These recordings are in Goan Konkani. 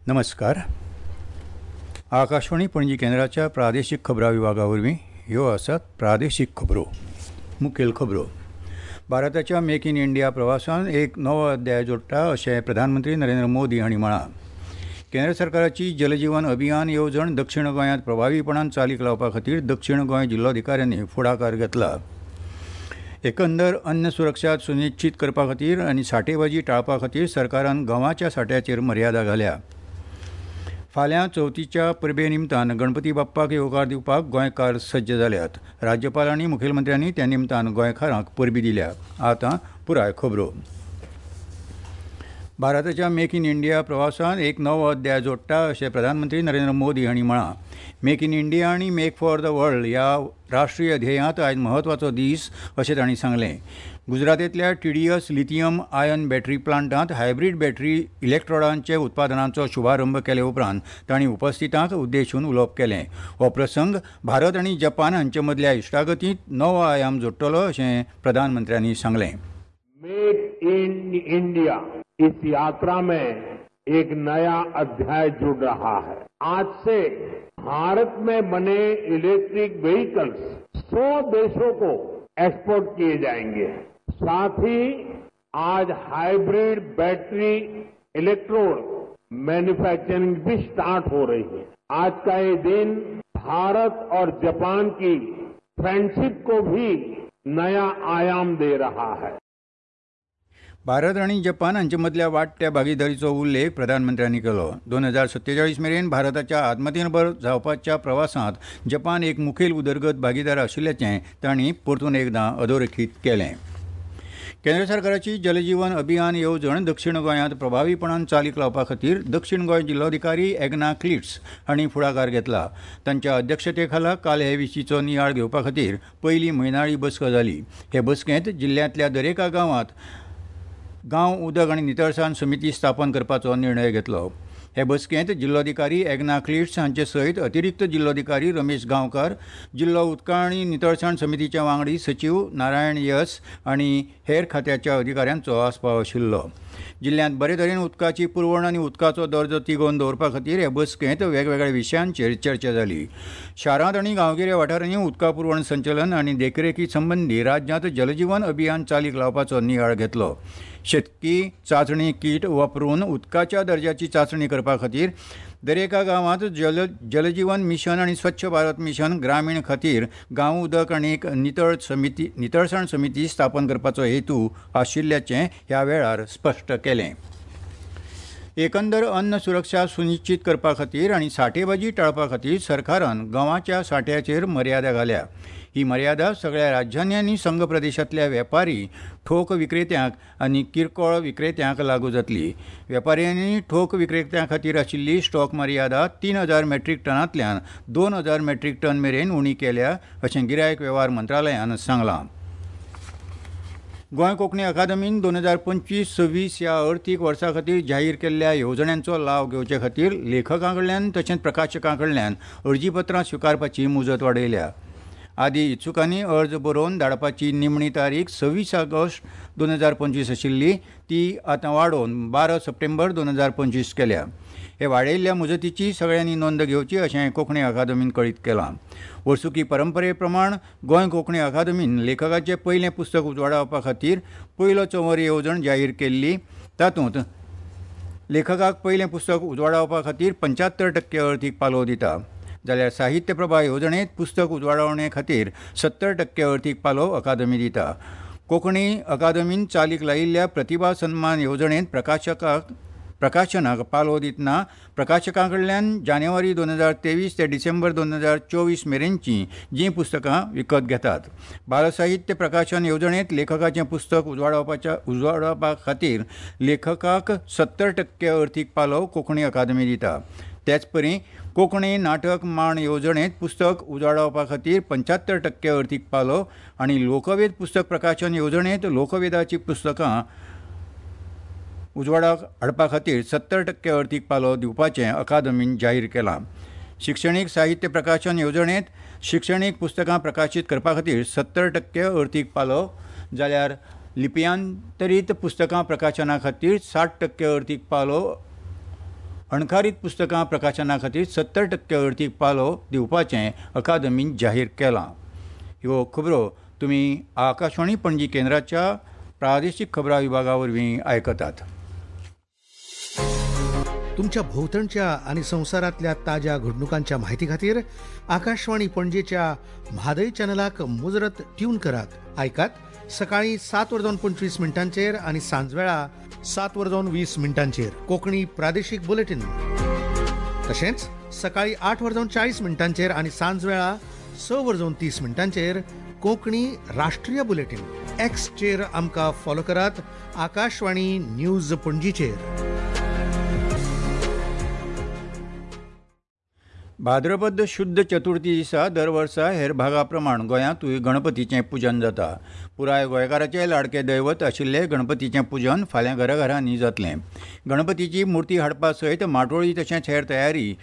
नमस्कार. आकाशवाणी पणजी केंद्राच्या प्रादेशीक खबरां विभागा वरवीं ह्यो आसात प्रादेशीक खबरो. मुखेल खबरो. भारताच्या मेक इन इंडिया प्रवासान एक नवो अध्याय जोडटा अशें प्रधानमंत्री नरेंद्र मोदी हांणी म्हळां. केंद्र सरकाराची जलजीवन अभियान येवजण दक्षिण गोंयांत प्रभावीपणान चालीक लावपा खातीर दक्षिण गोंय जिल्लोधिकाऱ्यांनी फुडाकार घेतला. एकंदर अन्न सुरक्षा सुनिश्चीत करपा खातीर आनी साठेबाजी टाळपा खातीर सरकारान गंवाच्या साठ्याचेर मर्यादा घाल्या. फाल्यां चवथीच्या परबे निमतान गणपती बाप्पाक येवकार दिवपाक गोंयकार सज्ज जाल्यात. राज्यपाल आनी मुखेलमंत्र्यांनी त्या निमतान गोंयकारांक परबी दिल्या. आतां पुराय खबरो. भारताच्या मेक इन इंडिया प्रवासान एक नवो अध्याय जोडटा अशें प्रधानमंत्री नरेंद्र मोदी हांणी म्हळां. मेक इन इंडिया आनी मेक फॉर the world ह्या राष्ट्रीय ध्येयांत आयज म्हत्वाचो दीस अशें तांणी सांगलें. गुजरातेंतल्या टीडीएस लिथियम आयन बॅटरी प्लांटांत हायब्रीड बॅटरी इलेक्ट्रॉडांचे उत्पादनाचो शुभारंभ केले उपरांत तांणी उपस्थितांक उद्देशून उलोवप केलें. हो प्रसंग भारत आनी जपान हांचे मदल्या इश्टागतींत नवो आयाम जोडटलो अशें प्रधानमंत्र्यांनी सांगलें. मेक इन इंडिया इस यात्रा में एक नया अध्याय जुड़ रहा है. आज से भारत में बने इलेक्ट्रिक व्हीकल्स 100 देशों को एक्सपोर्ट किए जाएंगे. साथ ही आज हाइब्रिड बैटरी इलेक्ट्रोड मैन्युफैक्चरिंग भी स्टार्ट हो रही है. आज का ये दिन भारत और जापान की फ्रेंडशिप को भी नया आयाम दे रहा है. भारत आनी जपान हांचे मदल्या वाडट्या भागीदारीचो उल्लेख प्रधानमंत्र्यांनी केलो. 2047 मेरेन भारताच्या आत्मनिर्भर जावपाच्या प्रवासांत जपान एक मुखेल उदरगत भागीदार आशिल्ल्याचें तांणी परतून एकदां अधोरेखीत केलें. केंद्र सरकाराची जलजीवन अभियान येवजण दक्षिण गोंयांत प्रभावीपणान चालीक लावपा खातीर दक्षिण गोंय जिल्लोधिकारी एग्ना क्लिट्स हांणी फुडाकार घेतला. तांच्या अध्यक्षते खाला काल हे विशींचो नियाळ घेवपा खातीर पयली म्हयनाळी बसका जाली. हे बसकेंत जिल्ल्यांतल्या दरेका गांवांत गांव उदक आनी नितळसाण समिती स्थापन करपाचो निर्णय घेतलो. हे बसकेंत जिल्लोधिकारी एग्ना क्लिट्स हांचे सयत अतिरिक्त जिल्लोधिकारी रमेश गांवकार, जिल्लो उदका आनी नितळसाण समितीचे वांगडी सचीव नारायण यस आनी हेर खात्याच्या अधिकाऱ्यांचो आस्पाव आशिल्लो. जिल्ल्यांत बरे तरेन उदकाची पुरवण आनी उदकाचो दर्जो तिगोवन दवरपा खातीर हे बसकेंत वेगवेगळ्या विशयांचेर चर्चा जाली. शारांत आनी गांवगिऱ्या वाठारांनी उदका पुरवण संचलन आनी देखरेखी संबंदी राज्यांत जलजीवन अभियान चालीक लावपाचो नियाळ घेतलो. शेतकी चांचणी कीट वापरून उदकाच्या दर्जाची चांचणी करपा खातीर दरेका गांवांत जलजीवन मिशन आनी स्वच्छ भारत मिशन ग्रामीण खातीर गांव उदक आनी नितळसाण समिती स्थापन करपाचो हेतू आशिल्ल्याचें ह्या वेळार स्पश्ट केलें. एकंदर अन्न सुरक्षा सुनिश्चीत करपा खातीर आनी साठेबाजी टाळपा खातीर सरकारान गंवाच्या साठ्याचेर मर्यादा घाल्या. ही मर्यादा सगळ्या राज्यांनी आनी संघ प्रदेशांतल्या वेपारी, ठोक विक्रेत्यांक आनी किरकोळ विक्रेत्यांक लागू जातली. वेपाऱ्यांनी ठोक विक्रेत्यां खातीर आशिल्ली स्टॉक मर्यादा 3000 मेट्रीक टनांतल्यान 2000 मेट्रीक टन मेरेन उणी केल्या अशें गिरायक वेव्हार मंत्रालयान सांगलां. गोंय कोंकणी अकादमीन 2025-26 ह्या अर्थीक वर्सा खातीर जाहीर केल्ल्या येवजण्यांचो लाव घेवचे खातीर लेखकां कडल्यान तशेंच प्रकाशकां कडल्यान अर्जीपत्रां स्विकारपाची मुजत वाडयल्या. आदी इत्सुकांनी अर्ज बरोवन धाडपाची निमणी तारीख 26 ऑगस्ट 2025 आशिल्ली, ती आतां वाडोवन 12 सप्टेंबर 2025 केल्या. हे वाडयल्ल्या मुजतीची सगळ्यांनी नोंद घेवची अशें कोंकणी अकादमीन कळीत केलां. वर्सुकी परंपरे प्रमाण गोंय कोंकणी अकादमीन लेखकाचें पयलें पुस्तक उजवाडावपा खातीर पयलो चंवर येवजण जाहीर केल्ली. तातूंत लेखकाक पयलें पुस्तक उजवाडावपा खातीर 75% अर्थीक पालव दिता, जाल्यार साहित्य प्रभा येवजणेंत पुस्तक उजवाडावणे खातीर 70% अर्थीक पालव अकादमी दिता. कोंकणी अकादमीन चालीक लायिल्ल्या प्रतिभा सन्मान येवजणेंत प्रकाशनाक पालव दितना प्रकाशकां कडल्यान जानेवारी 2023 ते डिसेंबर 2024 मेरेनची जीं पुस्तकां विकत घेतात. बालसाहित्य प्रकाशन येवजणेंत लेखकाचें पुस्तक उजवाडावपा खातीर लेखकाक 70% अर्थीक पालव कोंकणी अकादमी दिता. तेचपरी कोंकणी नाटक माण येवजणेंत पुस्तक उजवाडावपा खातीर 75% अर्थीक पालव आनी लोकवेद पुस्तक प्रकाशन येवजणेंत लोकवेदाचीं पुस्तकां उजवाडाक हाडपा खातीर 70% अर्थीक पालव दिवपाचें अकादमीन जाहीर केलां. शिक्षणीक साहित्य प्रकाशन येवजणेंत शिक्षणीक पुस्तकां प्रकाशीत करपा खातीर 70% अर्थीक पालव, जाल्यार लिप्यांतरीत पुस्तकां प्रकाशना खातीर 60% अर्थीक पालव अणकारीत पुस्तकां प्रकाशना खातीर 70% अर्थीक पालव दिवपाचें अकादमीन जाहीर केलां. ह्यो खबरो तुमी आकाशवाणी पणजी केंद्राच्या प्रादेशीक खबरां विभागा वरवीं आयकतात. तुमच्या भोवतणच्या आनी संवसारांतल्या ताज्या घडणुकांच्या माहिती खातीर आकाशवाणी पणजेच्या म्हादय चॅनलाक मुजरत ट्यून करात. आयकात सकाळी 7:25 आनी सांजवेळा 7:20 कोंकणी प्रादेशीक बुलेटीन. तशेंच सकाळी 8:40 आनी सांजवेळा 6:30 कोंकणी राष्ट्रीय बुलेटीन. एक्सचेर आमकां फॉलो करात आकाशवाणी न्यूज पणजीचेर. भाद्रपद शुद्ध चतुर्थी दिसा दर वर्सा हेर भागा प्रमाण गोंयांतूय गणपतीचें पुजन जाता. पुराय गोंयकाराचे लाडके दैवत आशिल्ले गणपतीचें पुजन फाल्यां घराघरांनी जातलें. गणपतीची मूर्ती हाडपा सयत माटोळी तशेंच हेर तयारी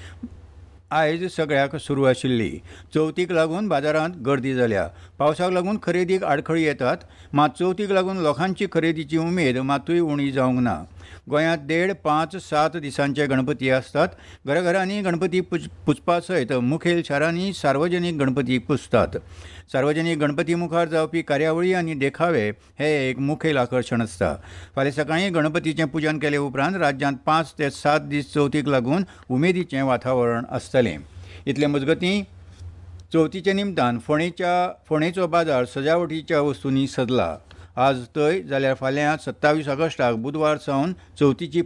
आयज सगळ्याक सुरू आशिल्ली. चवथीक लागून बाजारांत गर्दी जाल्या. पावसाक लागून खरेदीक आडखळी येतात, मात चवथीक लागून लोकांची खरेदीची उमेद मातूय उणी जावंक ना. गोंयांत 1.5, 5, 7 दिसांचे गणपती आसतात. घराघरांनी गणपती पुजपा सयत मुखेल शारांनी सार्वजनीक गणपती पुजतात. सार्वजनीक गणपती मुखार जावपी कार्यावळी आनी देखावे हे एक मुखेल आकर्शण आसता. फाल्यां सकाळीं गणपतीचें पुजन केले उपरांत राज्यांत 5 ते 7 दीस चवथीक लागून उमेदीचें वातावरण आसतलें. इतले मजगतीं चवथीच्या निमतान फोंडेचो बाजार सजावटीच्या वस्तूंनी सजला. आज थंय जाल्यार फाल्यां 27 ऑगस्टाक बुधवार सावन चवथीची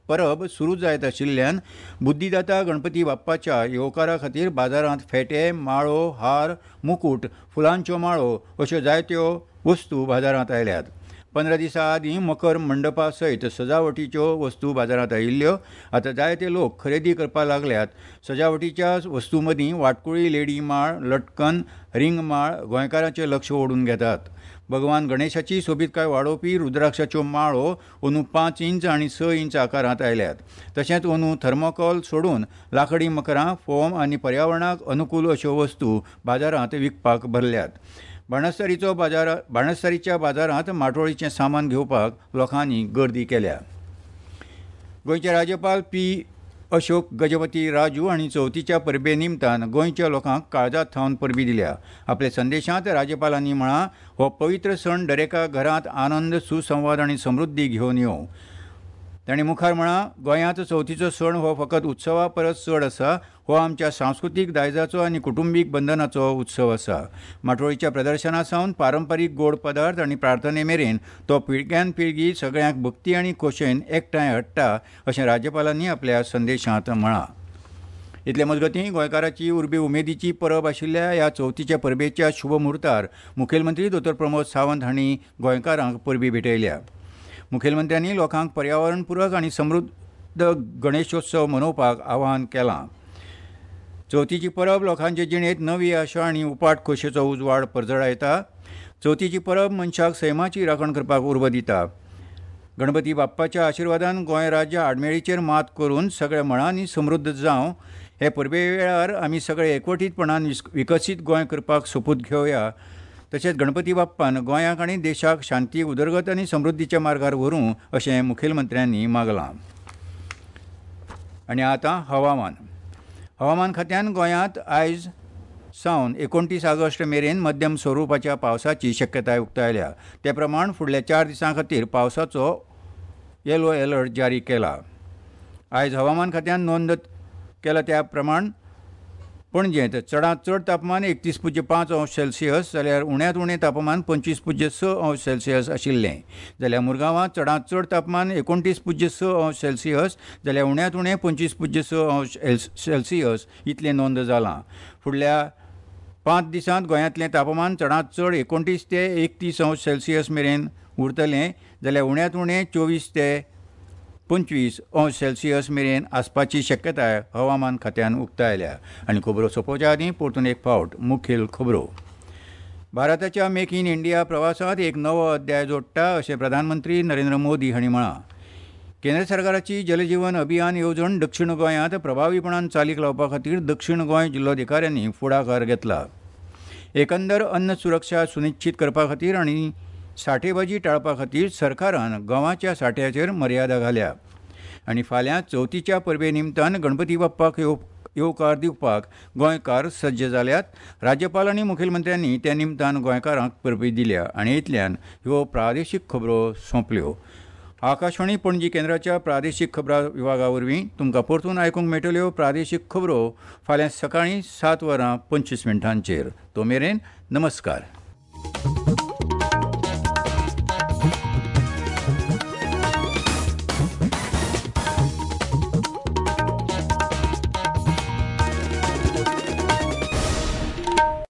परब सुरू जायत आशिल्ल्यान बुद्धिदाता गणपती बाप्पाच्या येवकारा खातीर बाजारांत फेटे, माळो, हार, मुकूट, फुलांच्यो माळो अश्यो जायत्यो वस्तू बाजारांत आयल्यात. 15 दिसां आदीं मकर मंडपा सयत सजावटीच्यो वस्तू बाजारांत आयिल्ल्यो. आतां जायते लोक खरेदी करपाक लागल्यात. सजावटीच्या वस्तू मदीं वाटकुळी लेडी माळ, लटकन, रिंग माळ गोंयकारांचें लक्ष ओडून घेतात. भगवान गणेशाची सोबीतकाय वाडोवपी रुद्राक्षाच्यो माळो अंदू 5 इंच आनी 6 इंच आकारांत आयल्यात. तशेंच अंदू थर्मोकॉल सोडून लांकडी मकरां, फोम आनी पर्यावरणाक अनुकूल अश्यो वस्तू बाजारांत विकपाक भरल्यात. बाणस्तारीच्या बाजारांत माटोळीचें सामान घेवपाक लोकांनी गर्दी केल्या. गोंयचे राज्यपाल पी अशोक गजपती राजू हांणी चवथीच्या परबे निमतान गोंयच्या लोकांक काळजांत थावन परबी दिल्या. आपल्या संदेशांत राज्यपालांनी म्हळां, हो पवित्र सण दरेका घरांत आनंद, सुसंवाद आनी समृद्धी घेवन येवं. तांणी मुखार म्हळां, गोंयांत चवथीचो सण हो फकत उत्सवा परस चड आसा. हो आमच्या सांस्कृतीक दायजाचो आनी कुटुंबीक बंधनाचो उत्सव आसा. माटोळीच्या प्रदर्शना सावन पारंपारीक गोड पदार्थ आनी प्रार्थने मेरेन तो पिळग्यान पिळगी सगळ्यांक भक्ती आनी खोशयेन एकठांय हाडटा अशें राज्यपालांनी आपल्या संदेशांत म्हळां. इतले मजगतीं गोंयकाराची उर्बे उमेदीची परब आशिल्ल्या ह्या चवथीच्या परबेच्या शुभ म्हुर्तार मुखेलमंत्री दोतोर प्रमोद सावंत हांणी गोंयकारांक परबी भेटयल्या. मुखेलमंत्र्यांनी लोकांक पर्यावरणपूरक आनी समृद्ध गणेशोत्सव मनोवपाक आवाहन केलां. चवथीची परब लोकांचे जिणेंत नवी आशा आनी उपाट खोशयेचो उजवाड परजळायता. चवथीची परब मनशाक सैमाची राखण करपाक उर्बा दिता. गणपती बाप्पाच्या आशिर्वादान गोंय राज्य आडमेळीचेर मात करून सगळ्या मळांनी समृद्ध जावं. हे परबे वेळार आमी सगळे एकवटीतपणान विकसीत गोंय करपाक सोपूत घेवया. तशेंच गणपती बाप्पान गोंयाक आनी देशाक शांती, उदरगत आनी समृद्धीच्या मार्गार व्हरूं अशें मुखेलमंत्र्यांनी मागलां. आनी आतां हवामान. हवामान खात्यान गोंयांत आयज सावन 29 ऑगस्ट मेरेन मध्यम स्वरुपाच्या पावसाची शक्यताय उक्तायल्या. ते प्रमाण फुडल्या 4 दिसां खातीर पावसाचो येलो अलर्ट जारी केला. आयज हवामान खात्यान नोंद केला त्या प्रमाण पणजेंत चडांत चड तापमान 31.5 अंश सेल्सियस जाल्यार उण्यांत उणें तापमान 25.6 अंश सेल्सियस आशिल्लें. जाल्यार मुरगांवांत चडांत चड तापमान 29.6 अंश सेल्सियस जाल्यार उण्यांत उणें 25.6 अंश सेल्सियस इतलें नोंद जालां. फुडल्या 5 दिसांत गोंयांतलें तापमान चडांत चड 29 ते 31 अंश सेल्सियस मेरेन उरतलें जाल्यार उण्यांत उणें 24 ते 25 अंश सेल्सियस मेरेन आसपाची शक्यताय हवामान खात्यान उक्तायल्या. आनी खबरो सोंपोवच्या आदीं परतून एक फावट मुखेल खबरो. भारताच्या मेक इन इंडिया प्रवासांत एक नवो अध्याय जोडटा अशें प्रधानमंत्री नरेंद्र मोदी हांणी म्हळां. केंद्र सरकाराची जलजीवन अभियान येवजण दक्षिण गोंयांत प्रभावीपणान चालीक लावपा खातीर दक्षिण गोंय जिल्लोधिकाऱ्यांनी फुडाकार घेतला. एकंदर अन्न सुरक्षा सुनिश्चित करपा खातीर आनी साठेबाजी टाळपा खातीर सरकारान गंवाच्या साठ्याचेर मर्यादा घाल्या. आनी फाल्यां चवथीच्या परबे निमतान गणपती बाप्पाक येवकार दिवपाक गोंयकार सज्ज जाल्यात. राज्यपाल आनी मुखेलमंत्र्यांनी त्या निमतान गोंयकारांक परबी दिल्या. आनी इतल्यान ह्यो प्रादेशीक खबरो सोंपल्यो. आकाशवाणी पणजी केंद्राच्या प्रादेशीक खबरां विभागा वरवीं तुमकां परतून आयकूंक मेळटल्यो प्रादेशीक खबरो फाल्यां सकाळीं 7:25. तो मेरेन नमस्कार.